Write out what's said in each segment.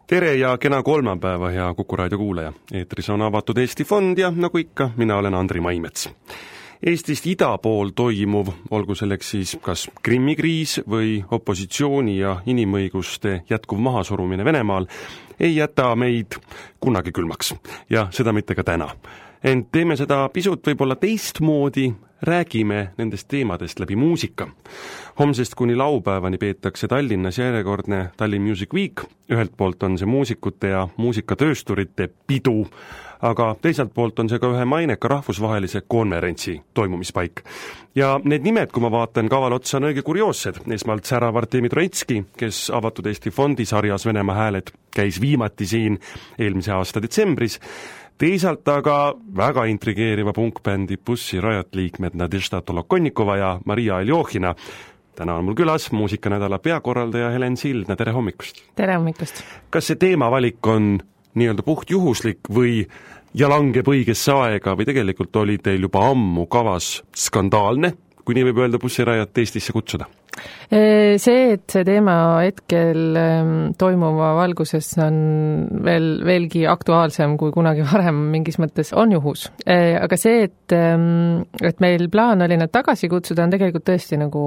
Tere ja kena kolmapäeva, hea Kuku raadio kuulaja. Eetris on avatud Eesti Fond ja nagu ikka, mina olen Andri Maimets. Eestist ida pool toimuv, olgu selleks siis kas Krimmi kriis või opositsiooni ja inimõiguste jätkuv mahasurumine Venemaal, ei jäta meid kunagi külmaks ja seda mitte ka täna. Ent teeme seda pisut võib-olla teistmoodi, räägime nendest teemadest läbi muusika. Homsest kuni laupäevani peetakse Tallinnas järjekordne Tallinn Music Week. Ühelt poolt on see muusikute ja muusikatöösturite pidu, aga teiselt poolt on see ka ühe maineka rahvusvahelise konverentsi toimumispaik. Ja need nimed, kui ma vaatan kaval otsa, on õige kurioossed. Esmalt särav Artemi Troitski, kes avatud Eesti Fondi sarjas Venemaa hääled käis viimati siin eelmise aasta detsembris. Teisalt aga väga intrigeeriva punkbändi Pussy Riot liikmed Nadežda Tolokonnikova ja Maria Aljohina. Täna on mul külas muusikanädala peakorraldaja Helen Sildna. Tere hommikust! Tere hommikust! Kas see teemavalik on nii-öelda puht juhuslik või ja langeb õigesse aega või tegelikult oli teil juba ammu kavas skandaalne, kui nii võib öelda, Pussy Riot Eestisse kutsuda? See, et see teema hetkel toimuva valguses on veelgi aktuaalsem kui kunagi varem mingis mõttes, on juhus. Aga see, et meil plaan oli nad tagasi kutsuda, on tegelikult tõesti nagu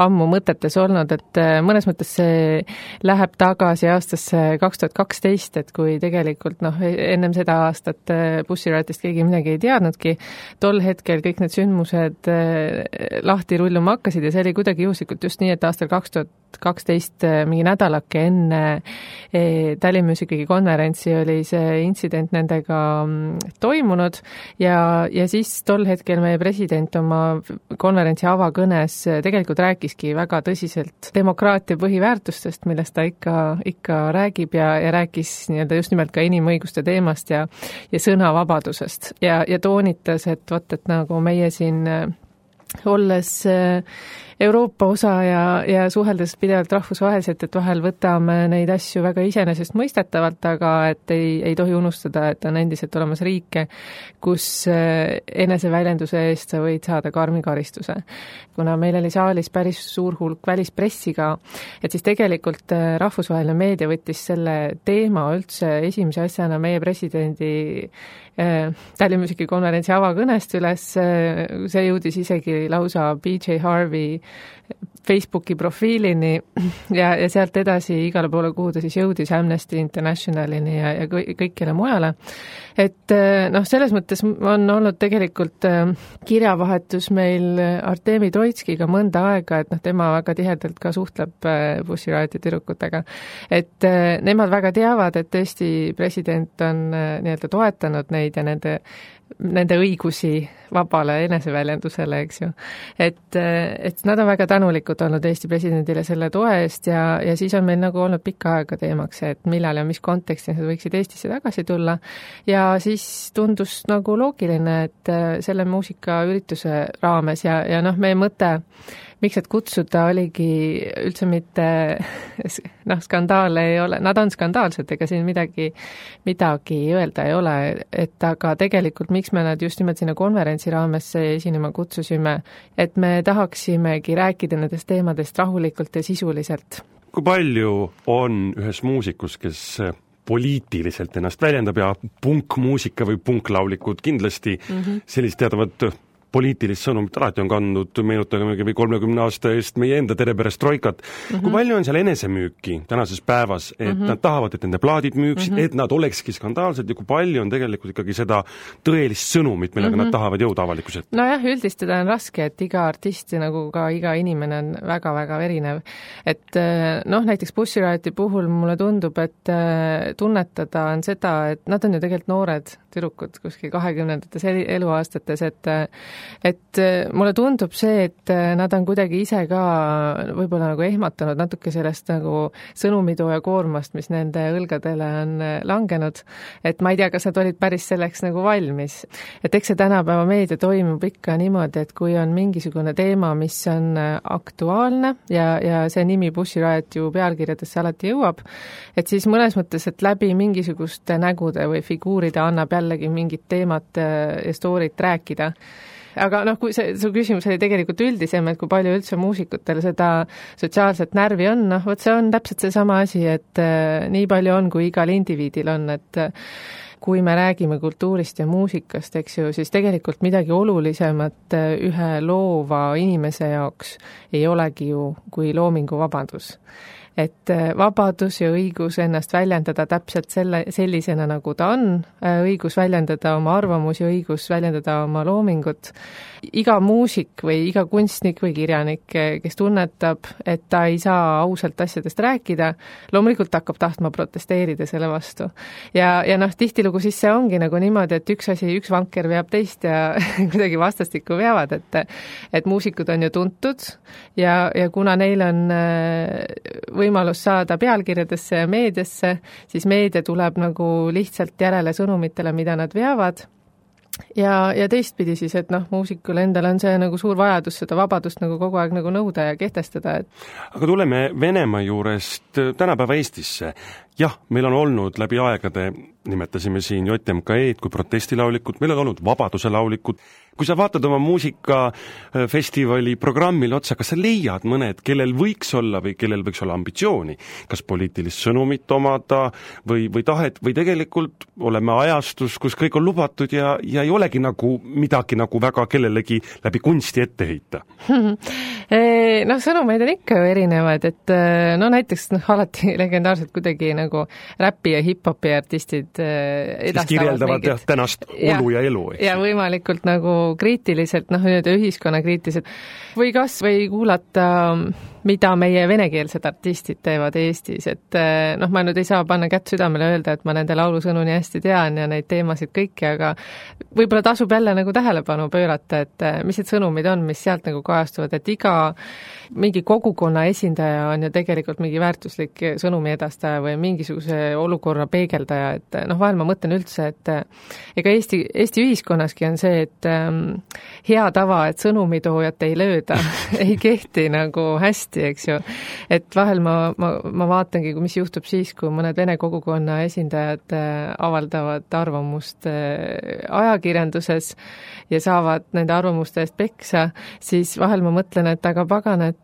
ammu mõtetes olnud, et mõnes mõttes see läheb tagasi aastasse 2012, et kui tegelikult ennem seda aastat Pussy Riotist keegi midagi ei teadnudki, tol hetkel kõik need sündmused lahti rulluma hakkasid ja see oli kuidagi juhuslikult just nii, et aastal 2012 mingi nädalake enne Tallinn Music Weeki konverentsi oli see intsident nendega toimunud ja siis tol hetkel meie president oma konverentsi avakõnes tegelikult rääkiski väga tõsiselt demokraatia põhiväärtustest, millest ta ikka räägib ja rääkis nii-öelda just nimelt ka inimõiguste teemast ja sõnavabadusest ja toonitas, et nagu meie siin olles Euroopa osa ja suheldes pidevalt rahvusvaheliselt, et vahel võtame neid asju väga iseenesest mõistetavalt, aga et ei tohi unustada, et on endiselt olemas riike, kus eneseväljenduse eest sa võid saada karmi karistuse. Kuna meil oli saalis päris suur hulk välispressiga, et siis tegelikult rahvusvaheline meedia võttis selle teema üldse esimese asjana meie presidendi Tallinn Music Weeki konverentsi avakõnest üles, see jõudis isegi lausa BJ Harvey Facebooki profiilini ja sealt edasi igale poole, kuhu ta siis jõudis Amnesty Internationalini ja kõikjale mujale. Et selles mõttes on olnud tegelikult kirjavahetus meil Artemi Troitskiga mõnda aega, et tema väga tihedalt ka suhtleb Pussy Rioti tüdrukutega. Et nemad väga teavad, et Eesti president on nii-öelda toetanud neid ja nende õigusi vabale eneseväljendusele, eks ju. Et nad on väga tänulikud olnud Eesti presidendile selle toe eest ja siis on meil nagu olnud pikka aega teemaks, et millal ja mis kontekstis nad võiksid Eestisse tagasi tulla ja siis tundus nagu loogiline, et selle muusikaürituse raames ja meie mõte, miks et kutsuda oligi üldse mitte skandaale ei ole, nad on skandaalsed, ega siin midagi öelda ei ole, et aga tegelikult miks me nad just nimelt sinna konverentsi raames esinema kutsusime, et me tahaksimegi rääkida nendest teemadest rahulikult ja sisuliselt. Kui palju on ühes muusikus, kes poliitiliselt ennast väljendab ja punkmuusika või punklaulikud kindlasti sellist teadavat poliitilist sõnumit alati on kandnud, meenutagem või 30 aasta eest meie enda perestroikat. Kui palju on seal enesemüüki tänases päevas, et nad tahavad, et nende plaadid müüksid, et nad olekski skandaalsed ja kui palju on tegelikult ikkagi seda tõelist sõnumit, millega nad tahavad jõuda avalikkuselt? Nojah, üldistada on raske, et iga artist nagu ka iga inimene on väga-väga erinev. Et näiteks Pussy Rioti puhul mulle tundub, et tunnetada on seda, et nad on ju tegelikult noored tüdrukud kuskil 20-ndates eluaastates, et mulle tundub see, et nad on kuidagi ise ka võib-olla nagu ehmatanud natuke sellest nagu sõnumitooja koormast, mis nende õlgadele on langenud. Et ma ei tea, kas nad olid päris selleks nagu valmis. Et eks see tänapäeva meedia toimub ikka niimoodi, et kui on mingisugune teema, mis on aktuaalne ja see nimi Pussy Riot ju pealkirjadesse alati jõuab, et siis mõnes mõttes, et läbi mingisuguste nägude või figuuride annab jällegi mingit teemat ja storyt rääkida. aga noh, kui su küsimus oli tegelikult üldisem, et kui palju üldse muusikutel seda sotsiaalset närvi on, noh, vot see on täpselt seesama asi, et nii palju on, kui igal indiviidil on, et kui me räägime kultuurist ja muusikast, eks ju, siis tegelikult midagi olulisemat ühe loova inimese jaoks ei olegi ju kui loominguvabadus. Et vabadus ja õigus ennast väljendada täpselt sellisena, nagu ta on, õigus väljendada oma arvamusi, õigus väljendada oma loomingut. Iga muusik või iga kunstnik või kirjanik, kes tunnetab, et ta ei saa ausalt asjadest rääkida, loomulikult hakkab tahtma protesteerida selle vastu. Ja noh, tihtilugu siis see ongi nagu niimoodi, et üks vanker veab teist ja kuidagi vastastikku veavad, et muusikud on ju tuntud ja kuna neil on võimalus saada pealkirjadesse ja meediasse, siis meedia tuleb nagu lihtsalt järele sõnumitele, mida nad veavad. Ja teistpidi siis, et noh, muusikul endal on see nagu suur vajadus seda vabadust nagu kogu aeg nagu nõuda ja kehtestada. Aga tuleme Venemaa juurest tänapäeva Eestisse. Jah, meil on olnud läbi aegade, nimetasime siin JMK-d kui protestilaulikud, meil on olnud vabaduse laulikud. Kui sa vaatad oma muusikafestivali programmil otsa, kas sa leiad mõned, kellel võiks olla või kellel võiks olla ambitsiooni, kas poliitilist sõnumit omada või tahet või tegelikult oleme ajastus, kus kõik on lubatud ja ei olegi nagu midagi nagu väga kellelegi läbi kunsti ette heita? Noh, sõnumeid on ikka ju erinevad, et no näiteks alati legendaarselt kuidagi nagu räppi ja hip-hopi artistid edastavad siis kirjeldavad mingit tänast olu ja elu. Ja võimalikult nagu kriitiliselt, noh, ühiskonnakriitiliselt või kas või kuulata, mida meie venekeelsed artistid teevad Eestis, et noh, ma nüüd ei saa panna kätt südamele öelda, et ma nende laulusõnu nii hästi tean ja neid teemasid kõiki, aga võib-olla tasub jälle nagu tähelepanu pöörata, et mis need sõnumid on, mis sealt nagu kajastuvad, et iga mingi kogukonna esindaja on ju tegelikult mingi väärtuslik sõnumi edastaja või mingisuguse olukorra peegeldaja, et noh, vahel ma mõtlen üldse, et ega Eesti ühiskonnaski on see, et hea tava, et sõnumitoojat ei lööda, ei kehti nagu hästi, eks ju. Et vahel ma vaatangi, mis juhtub siis, kui mõned vene kogukonna esindajad avaldavad arvamust ajakirjanduses ja saavad nende arvamuste eest peksa, siis vahel ma mõtlen, et aga pagan, et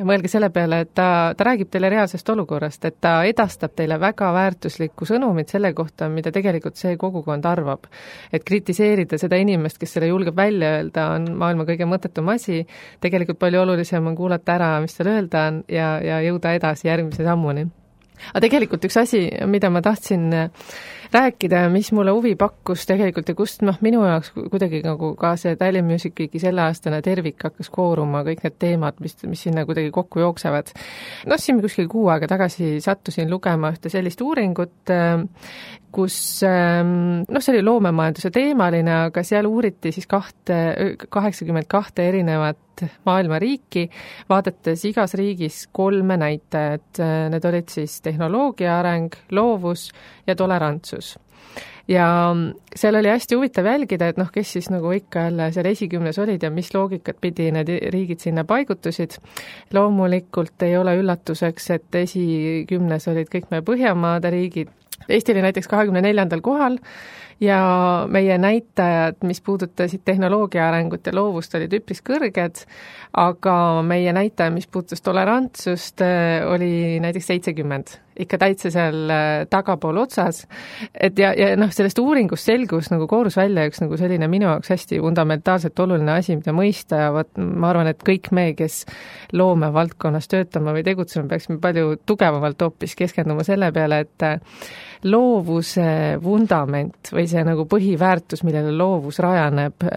mõelge selle peale, et ta räägib teile reaalsest olukorrast, et ta edastab teile väga väärtuslikku sõnumit selle kohta, mida tegelikult see kogukond arvab. Et kritiseerida seda inimest, kes selle julgeb välja öelda, on maailma kõige mõttetum asi. Tegelikult palju olulisem on kuulata ära, mis tal öelda on ja jõuda edasi järgmise sammuni. Aga tegelikult üks asi, mida ma tahtsin rääkida, mis mulle huvi pakkus tegelikult ja kust minu jaoks kuidagi nagu ka see Tallinn Music Weeki selleaastane tervik hakkas kooruma, kõik need teemad, mis sinna kuidagi kokku jooksevad. Siin kuskil 6 aega tagasi sattusin lugema ühte sellist uuringut, kus see oli loomemajanduse teemaline, aga seal uuriti siis 82 erinevat maailma riiki, vaadates igas riigis 3 näitajat. Need olid siis tehnoloogia areng, loovus ja tolerantsus. Ja seal oli hästi huvitav jälgida, et kes siis nagu ikka jälle seal esikümnes olid ja mis loogikat pidi need riigid sinna paigutusid. Loomulikult ei ole üllatuseks, et esikümnes olid kõik meie Põhjamaade riigid. Eesti oli näiteks 24. kohal ja meie näitajad, mis puudutasid tehnoloogia arengut ja loovust, olid üpris kõrged, aga meie näitaja, mis puudutas tolerantsust, oli näiteks 70. Ikka täitsa seal tagapool otsas. Et ja sellest uuringust selgus nagu koorus välja üks nagu selline minu jaoks hästi fundamentaalselt oluline asi, mida mõista ja ma arvan, et kõik me, kes loome valdkonnas töötama või tegutsema, peaksime palju tugevamalt hoopis keskenduma selle peale, et loovuse vundament või see nagu põhiväärtus, millele loovus rajaneb,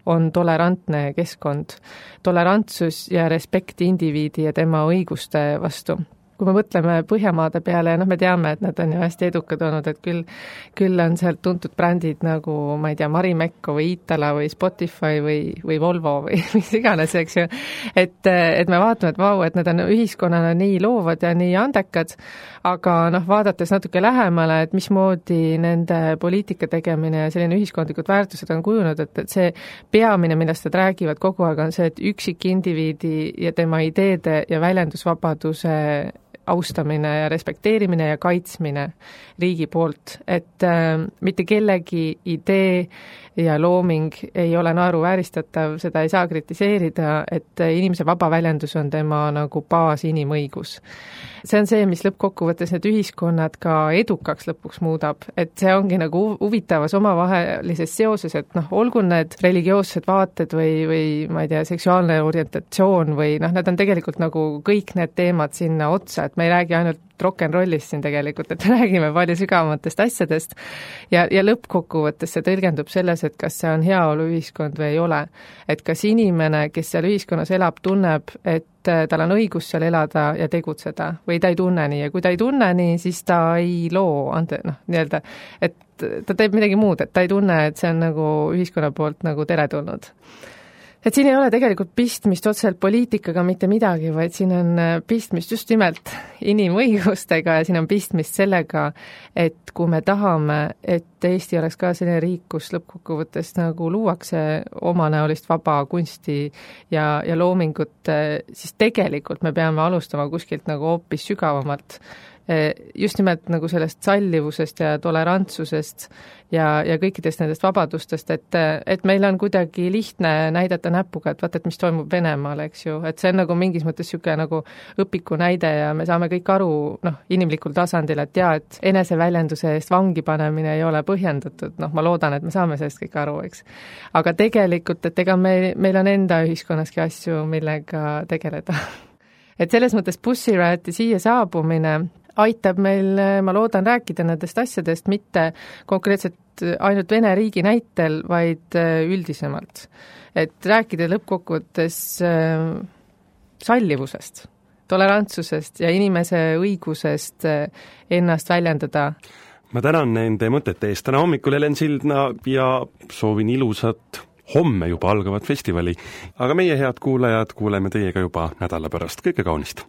on tolerantne keskkond. Tolerantsus ja respekt indiviidi ja tema õiguste vastu. Kui me mõtleme Põhjamaade peale ja me teame, et nad on ju hästi edukad olnud, et küll on sealt tuntud brändid nagu, ma ei tea, Marimekko või Iitala või Spotify või Volvo või mis iganes, eks ju. Et me vaatame, et vau, et need on ühiskonnana nii loovad ja nii andekad, aga vaadates natuke lähemale, et mismoodi nende poliitika tegemine ja selline ühiskondlikud väärtused on kujunud, et see peamine, millest nad räägivad kogu aeg, on see, et üksik indiviidi ja tema ideede ja väljendusvabaduse austamine ja respekteerimine ja kaitsmine riigi poolt, et mitte kellegi idee ja looming ei ole naeruvääristatav, seda ei saa kritiseerida, et inimese vaba väljendus on tema nagu baasinimõigus. See on see, mis lõppkokkuvõttes need ühiskonnad ka edukaks lõpuks muudab, et see ongi nagu huvitavas omavahelises seoses, et olgu need religioossed vaated või ma ei tea, seksuaalne orientatsioon või need on tegelikult nagu kõik need teemad sinna otsa, et me ei räägi ainult rock'n'rollist siin tegelikult, et me räägime palju sügavamatest asjadest ja lõppkokkuvõttes see tõlgendub selles, et kas see on heaoluühiskond või ei ole. Et kas inimene, kes seal ühiskonnas elab, tunneb, et tal on õigus seal elada ja tegutseda või ta ei tunne nii ja kui ta ei tunne nii, siis ta ei loo, nii-öelda, et ta teeb midagi muud, et ta ei tunne, et see on nagu ühiskonna poolt nagu teretulnud. Et siin ei ole tegelikult pistmist otseselt poliitikaga mitte midagi, vaid siin on pistmist just nimelt inimõigustega ja siin on pistmist sellega, et kui me tahame, et Eesti oleks ka selline riik, kus lõppkokkuvõttes nagu luuakse omanäolist vaba kunsti ja loomingut, siis tegelikult me peame alustama kuskilt nagu hoopis sügavamalt. Just nimelt nagu sellest sallivusest ja tolerantsusest ja kõikidest nendest vabadustest, et meil on kuidagi lihtne näidata näpuga, et vaata, et mis toimub Venemaal, eks ju, et see on nagu mingis mõttes niisugune nagu õpiku näide ja me saame kõik aru inimlikul tasandil, et et eneseväljenduse eest vangi panemine ei ole põhjendatud, ma loodan, et me saame sellest kõik aru, eks. Aga tegelikult, et ega meil on enda ühiskonnaski asju, millega tegeleda. Et selles mõttes Pussy Rioti siia saabumine aitab meil, ma loodan, rääkida nendest asjadest mitte konkreetselt ainult Vene riigi näitel, vaid üldisemalt. Et rääkida lõppkokkuvõttes sallivusest, tolerantsusest ja inimese õigusest ennast väljendada. Ma tänan nende mõtete eest täna hommikul, Helen Sildna, ja soovin ilusat homme juba algavat festivali. Aga meie, head kuulajad, kuuleme teiega juba nädala pärast. Kõike kaunist!